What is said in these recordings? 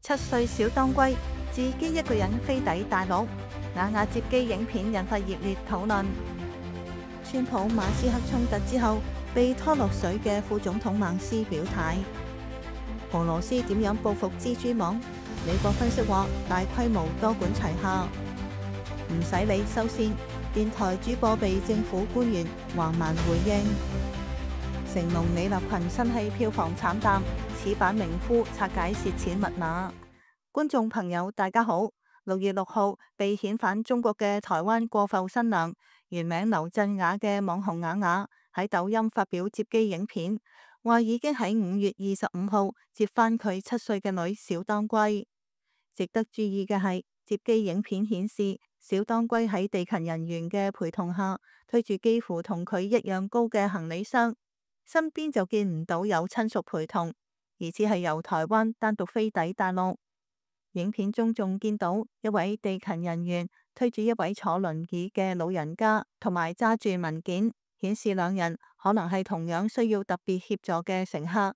7歲小當歸自己一個人飛抵大陸，雅雅接機影片引發熱烈討論。川普馬斯克衝突之後被拖落水嘅副總統孟斯表態。俄羅斯點樣報復蜘蛛網？美國分析話大規模多管齊下。唔使理收線，電台主播被政府官員橫蠻回應。成龍李立群新戲票房慘淡，此版名夫拆解蝕錢密碼。觀眾朋友大家好，6月6號被遣返中國嘅台灣過埠新娘，原名劉鎮雅嘅網紅雅雅喺抖音發表接機影片，話已經喺5月25號接返佢7歲嘅女小當歸。值得注意嘅係，接機影片顯示小當歸喺地勤人員嘅陪同下，推住幾乎同佢一樣高嘅行李箱，身邊就見唔到有親屬陪同，而只係由台灣單獨飛抵大陸。影片中仲見到一位地勤人員推住一位坐輪椅嘅老人家，同埋揸住文件，顯示兩人可能係同樣需要特別協助嘅乘客，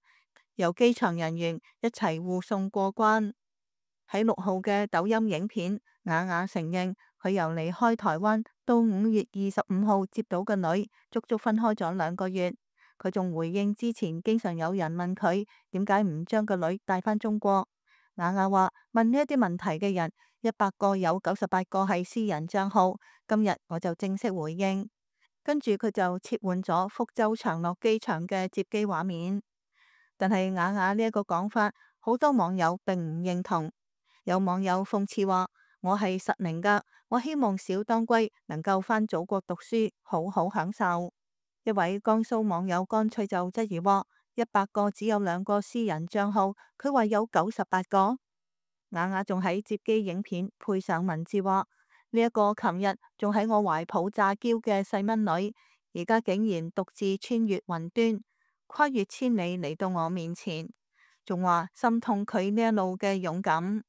由機場人員一齊護送過關。喺6號嘅抖音影片，雅雅承認佢由離開台灣到5月25號接到嘅女，足足分開咗2個月。佢仲回應之前經常有人問佢點解唔將個女帶返中國。雅雅話問呢一啲問題嘅人100個有98個係私人帳號，今日我就正式回應。跟住佢就切換咗福州長樂機場嘅接機畫面。但係雅雅呢一個講法，好多網友並唔認同。有網友諷刺話：我係實名㗎，我希望小當歸能夠返祖國讀書，好好享受。一位江蘇網友乾脆就質疑話：100個只有2個私人帳號，佢話有98個。雅雅仲喺接機影片配上文字話：呢一個琴日仲喺我懷抱詐嬌嘅細蚊女，而家竟然獨自穿越雲端，跨越千里嚟到我面前，仲話心痛佢呢一路嘅勇敢。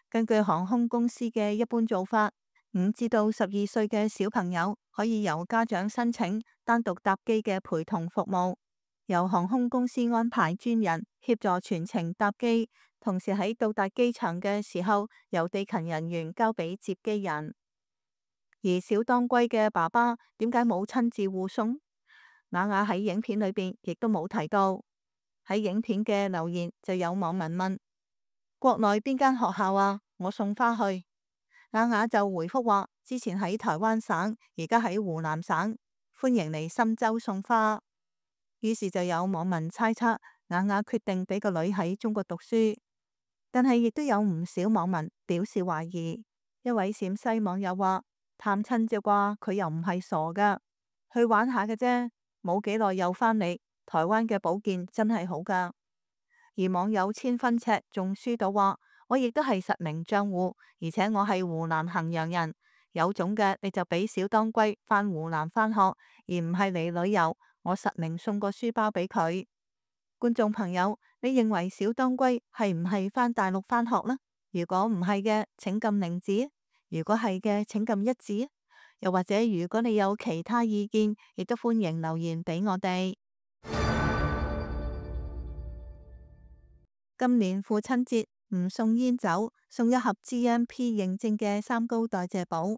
根據航空公司嘅一般做法，5至到12歲嘅小朋友可以由家長申請單獨搭機嘅陪同服務，由航空公司安排專人協助全程搭機，同時喺到達機場嘅時候，由地勤人員交俾接機人。而小當歸嘅爸爸點解冇親自護送？雅雅喺影片裏邊亦都冇提到。喺影片嘅留言就有網民問：國內邊間學校啊？我送花去。雅雅就回覆話：之前喺台灣省，而家喺湖南省，歡迎嚟深州送花。於是就有網民猜測雅雅決定俾個女喺中國讀書，但係亦都有唔少網民表示懷疑。一位陝西網友話：探親啫啩，佢又唔係傻噶，去玩下嘅啫，冇幾耐又返嚟。台灣嘅保健真係好噶。而網友千分尺仲輸到話：我亦都係實名賬戶，而且我係湖南衡陽人，有種嘅你就俾小當歸返湖南返學，而唔係嚟旅遊。我實名送個書包俾佢。觀眾朋友，你認為小當歸係唔係返大陸返學呢？如果唔係嘅，請撳0字；如果係嘅，請撳1字。又或者如果你有其他意見，亦都歡迎留言俾我哋。今年父親節唔送煙酒，送一盒 GMP 認證嘅三高代謝寶，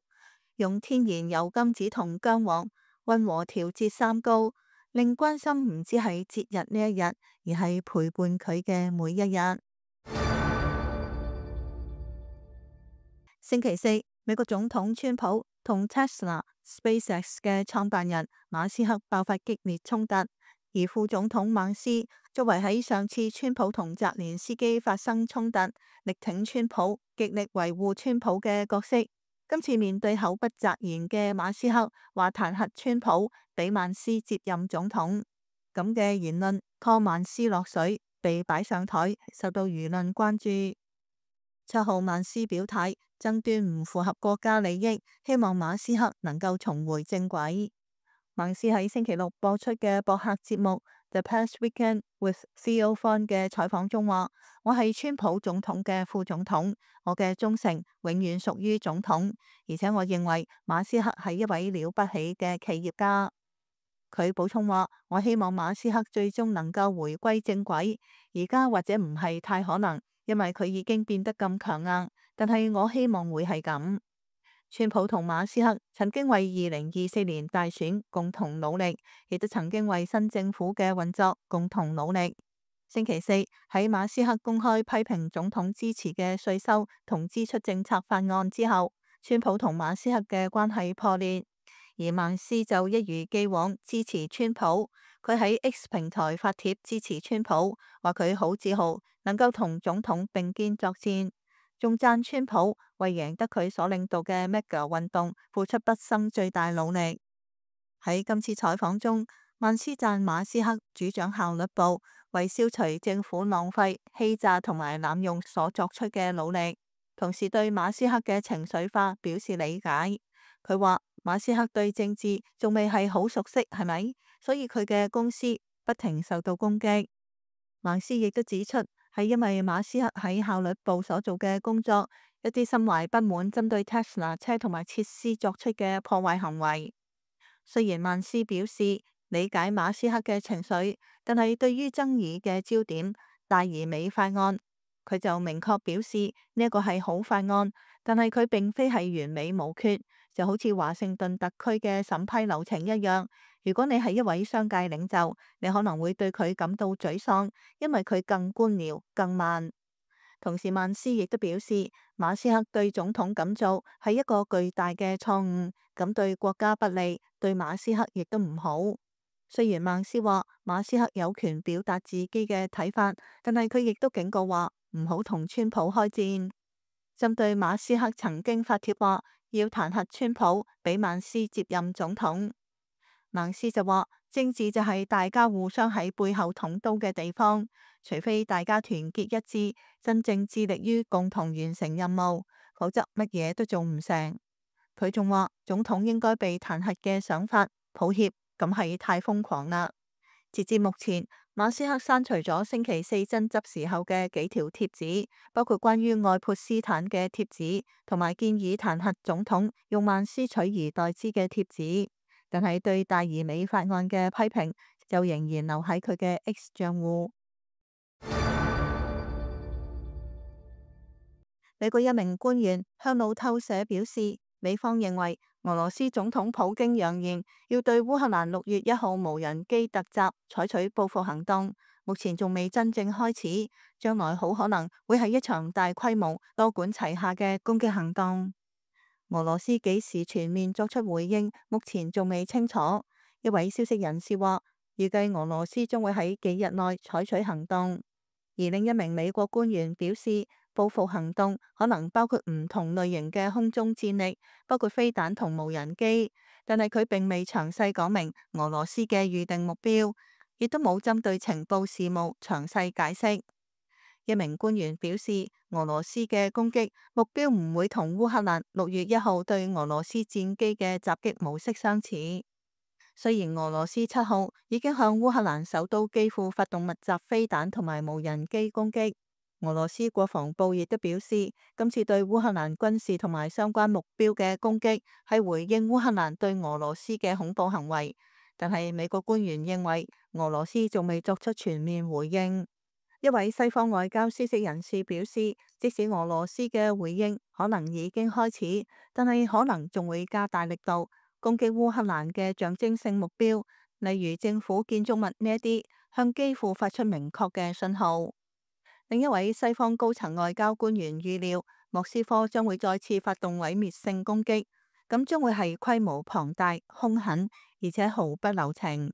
用天然油甘子同薑黃溫和調節三高，令關心唔止係節日呢一日，而係陪伴佢嘅每一日。星期四，美國總統川普同 Tesla、SpaceX 嘅創辦人馬斯克爆發激烈衝突。而副總統孟斯作為喺上次川普同澤連斯基發生衝突，力挺川普、極力維護川普嘅角色，今次面對口不擇言嘅馬斯克，話彈劾川普，俾孟斯接任總統，咁嘅言論拖孟斯落水，被擺上台，受到輿論關注。7號孟斯表態，爭端唔符合國家利益，希望馬斯克能夠重回正軌。孟斯喺星期六播出嘅博客節目《The Past Weekend with Theo Von》嘅採訪中話：我係川普總統嘅副總統，我嘅忠誠永遠屬於總統，而且我認為馬斯克係一位了不起嘅企業家。佢補充話：我希望馬斯克最終能夠回歸正軌，而家或者唔係太可能，因為佢已經變得咁強硬，但係我希望會係咁。川普同馬斯克曾經為2024年大選共同努力，亦都曾經為新政府嘅運作共同努力。星期四喺馬斯克公開批評總統支持嘅稅收同支出政策法案之後，川普同馬斯克嘅關係破裂，而曼斯就一如既往支持川普。佢喺 X 平台發帖支持川普，話佢好自豪能夠同總統並肩作戰，仲讚川普為贏得佢所領導嘅 MAGA 運動付出畢生最大努力。喺今次採訪中，曼斯讚馬斯克主掌效率部為消除政府浪費、欺詐同埋濫用所作出嘅努力，同時對馬斯克嘅情緒化表示理解。佢話馬斯克對政治仲未係好熟悉，係咪？所以佢嘅公司不停受到攻擊。曼斯亦都指出，係因為馬斯克喺效率部所做嘅工作，一啲心懷不滿針對 Tesla 車同埋設施作出嘅破壞行為。雖然曼斯表示理解馬斯克嘅情緒，但係對於爭議嘅焦點大而美法案，佢就明確表示呢一個係好法案，但係佢並非係完美無缺，就好似華盛頓特區嘅審批流程一樣。如果你係一位商界領袖，你可能會對佢感到沮喪，因為佢更官僚、更慢。同時，曼斯亦都表示，馬斯克對總統咁做係一個巨大嘅錯誤，咁對國家不利，對馬斯克亦都唔好。雖然曼斯話馬斯克有權表達自己嘅睇法，但係佢亦都警告話唔好同川普開戰。針對馬斯克曾經發帖話要彈劾川普，俾曼斯接任總統，曼斯就話政治就係大家互相喺背後捅刀嘅地方，除非大家團結一致，真正致力於共同完成任務，否則乜嘢都做唔成。佢仲話總統應該被彈劾嘅想法，抱歉，咁係太瘋狂啦。截至目前，馬斯克刪除咗星期四爭執時候嘅幾條貼紙，包括關於愛潑斯坦嘅貼紙，同埋建議彈劾總統用曼斯取而代之嘅貼紙。但係對大而美法案嘅批評就仍然留喺佢嘅 X 賬戶。美國一名官員向路透社表示，美方認為俄羅斯總統普京揚言要對烏克蘭6月1號無人機突襲採取報復行動，目前仲未真正開始，將來好可能會係一場大規模、多管齊下嘅攻擊行動。俄羅斯幾時全面作出回應，目前仲未清楚。一位消息人士話，預計俄羅斯將會喺幾日內採取行動。而另一名美國官員表示，報復行動可能包括唔同類型嘅空中戰力，包括飛彈同無人機，但係佢並未詳細講明俄羅斯嘅預定目標，亦都冇針對情報事務詳細解釋。一名官員表示，俄羅斯嘅攻擊目標唔會同烏克蘭6月1號對俄羅斯戰機嘅襲擊模式相似。雖然俄羅斯7號已經向烏克蘭首都基輔發動密集飛彈同埋無人機攻擊，俄羅斯國防部亦都表示，今次對烏克蘭軍事同埋相關目標嘅攻擊係回應烏克蘭對俄羅斯嘅恐怖行為。但係美國官員認為，俄羅斯仲未作出全面回應。一位西方外交消息人士表示，即使俄羅斯嘅回應可能已經開始，但係可能仲會加大力度攻擊烏克蘭嘅象徵性目標，例如政府建築物呢一啲，向基輔發出明確嘅信號。另一位西方高層外交官員預料，莫斯科將會再次發動毀滅性攻擊，咁將會係規模龐大、兇狠，而且毫不留情。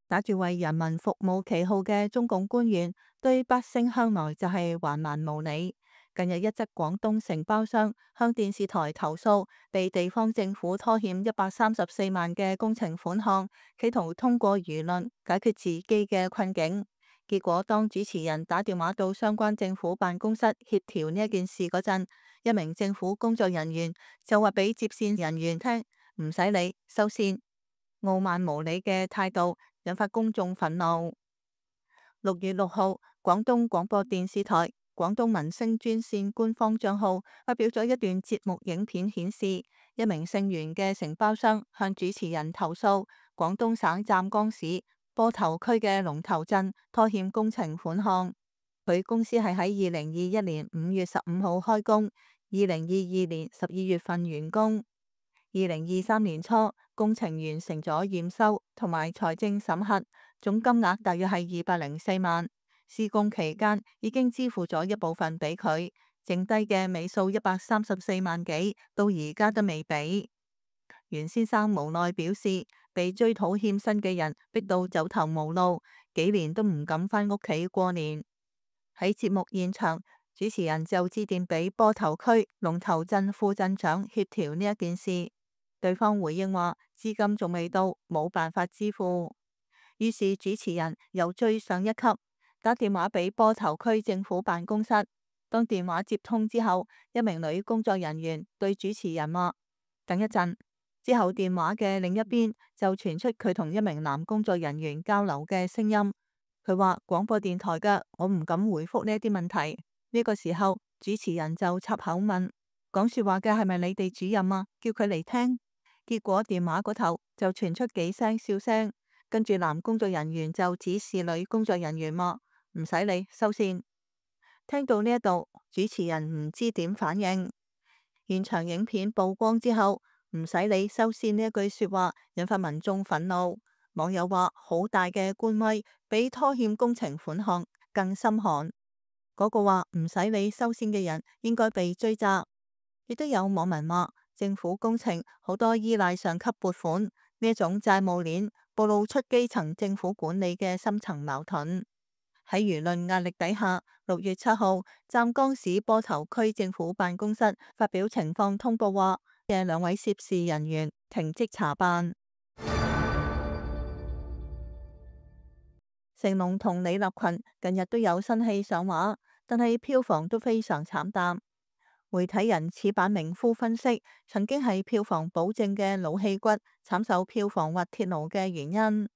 打住為人民服務旗號嘅中共官員，對百姓向來就係橫蠻無理。近日一則廣東承包商向電視台投訴，被地方政府拖欠134萬嘅工程款項，企圖通過輿論解決自己嘅困境。結果當主持人打電話到相關政府辦公室協調呢一件事嗰陣，一名政府工作人員就話俾接線人員聽，唔使理，收線。傲慢無理嘅態度引發公眾憤怒。6月6號，廣東廣播電視台廣東民聲專線官方賬號發表咗一段節目影片，顯示一名姓袁嘅承包商向主持人投訴，廣東省湛江市坡頭區嘅龍頭鎮拖欠工程款項。佢公司係喺2021年5月15號開工，2022年12月份完工。2023年初工程完成咗驗收同埋財政審核，總金額大約係204萬。施工期間已經支付咗一部分俾佢，剩低嘅尾數134萬幾，到而家都未俾。袁先生無奈表示，被追討欠薪嘅人逼到走投無路，幾年都唔敢返屋企過年。喺節目現場，主持人就致電俾坡頭區龍頭鎮副鎮長協調呢一件事，對方回應話資金仲未到，冇辦法支付。於是主持人又追上一級，打電話俾坡頭區政府辦公室。當電話接通之後，一名女工作人員對主持人話：等一陣。之後電話嘅另一邊就傳出佢同一名男工作人員交流嘅聲音。佢話廣播電台嘅，我唔敢回覆呢啲問題。呢個時候主持人就插口問：講說話嘅係咪你哋主任啊？叫佢嚟聽。結果電話嗰頭就傳出幾聲笑聲，跟住男工作人員就指示女工作人員話：唔使理，收線。聽到呢一度，主持人唔知點反應。現場影片曝光之後，唔使理收線呢一句說話引發民眾憤怒。網友話好大嘅官威，比拖欠工程款項更心寒。嗰個話唔使理收線嘅人應該被追責。亦都有網民話政府工程好多依賴上級撥款，呢一種債務鏈暴露出基層政府管理嘅深層矛盾。喺輿論壓力底下，6月7號湛江市坡頭區政府辦公室發表情況通報話嘅2位涉事人員停職查辦。成龍同李立群近日都有新戲上畫，但係票房都非常慘淡。媒體人矢板明夫分析，曾經係票房保證嘅老戲骨慘受票房滑鐵盧嘅原因。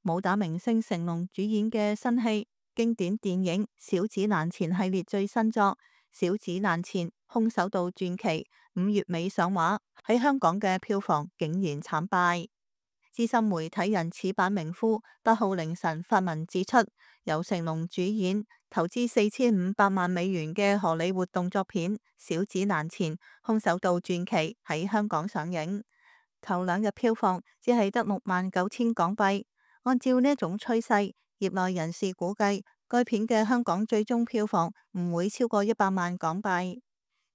武打明星成龍主演嘅新戲經典電影《小子難纏》系列最新作《小子難纏空手道傳奇》5月尾上畫，喺香港嘅票房竟然慘敗。資深媒體人矢板明夫8號凌晨發文指出，由成龍主演、投資4500萬美元嘅荷里活動作片《小子難纏空手道傳奇》喺香港上映，頭2日票房只係得69000港幣。按照呢一種趨勢，業內人士估計該片嘅香港最終票房唔會超過100萬港幣。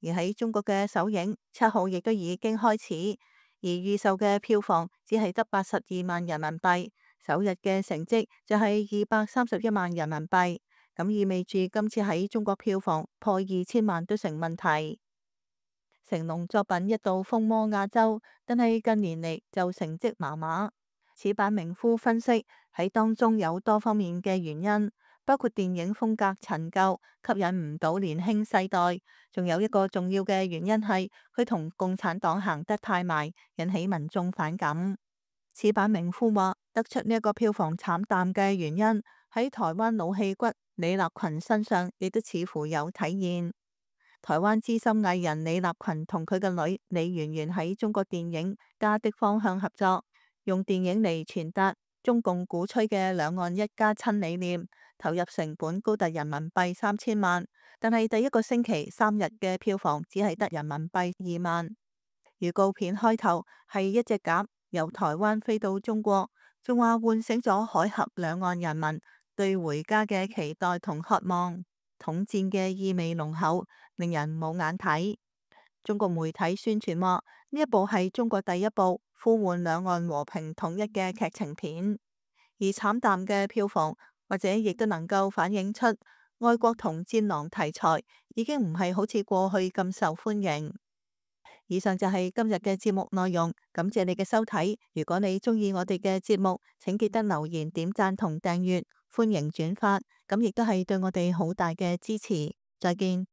而喺中國嘅首映7號亦都已經開始。而預售嘅票房只係得82萬人民幣，首日嘅成績就係231萬人民幣，咁意味住今次喺中國票房破2000萬都成問題。成龍作品一度風靡亞洲，但係近年嚟就成績麻麻。矢板明夫分析喺當中有多方面嘅原因，包括電影風格陳舊，吸引唔到年輕世代，仲有一個重要嘅原因係佢同共產黨行得太埋，引起民眾反感。矢板明夫話得出呢一個票房慘淡嘅原因喺台灣老戲骨李立群身上，亦都似乎有體現。台灣資深藝人李立群同佢嘅女李圓圓喺中國電影《家的方向》合作，用電影嚟傳達中共鼓吹嘅兩岸一家親理念，投入成本高達人民幣3000萬，但係第一個星期3日嘅票房只係得人民幣2萬。預告片開頭係一隻鴿由台灣飛到中國，仲話喚醒咗海峽兩岸人民對回家嘅期待同渴望，統戰嘅意味濃厚，令人冇眼睇。中國媒體宣傳話呢一部係中國第一部呼喚兩岸和平統一嘅劇情片，而慘淡嘅票房或者亦都能夠反映出愛國同戰狼題材已經唔係好似過去咁受歡迎。以上就係今日嘅節目內容，感謝你嘅收睇。如果你鍾意我哋嘅節目，請記得留言、點讚同訂閱，歡迎轉發，咁亦都係對我哋好大嘅支持。再見。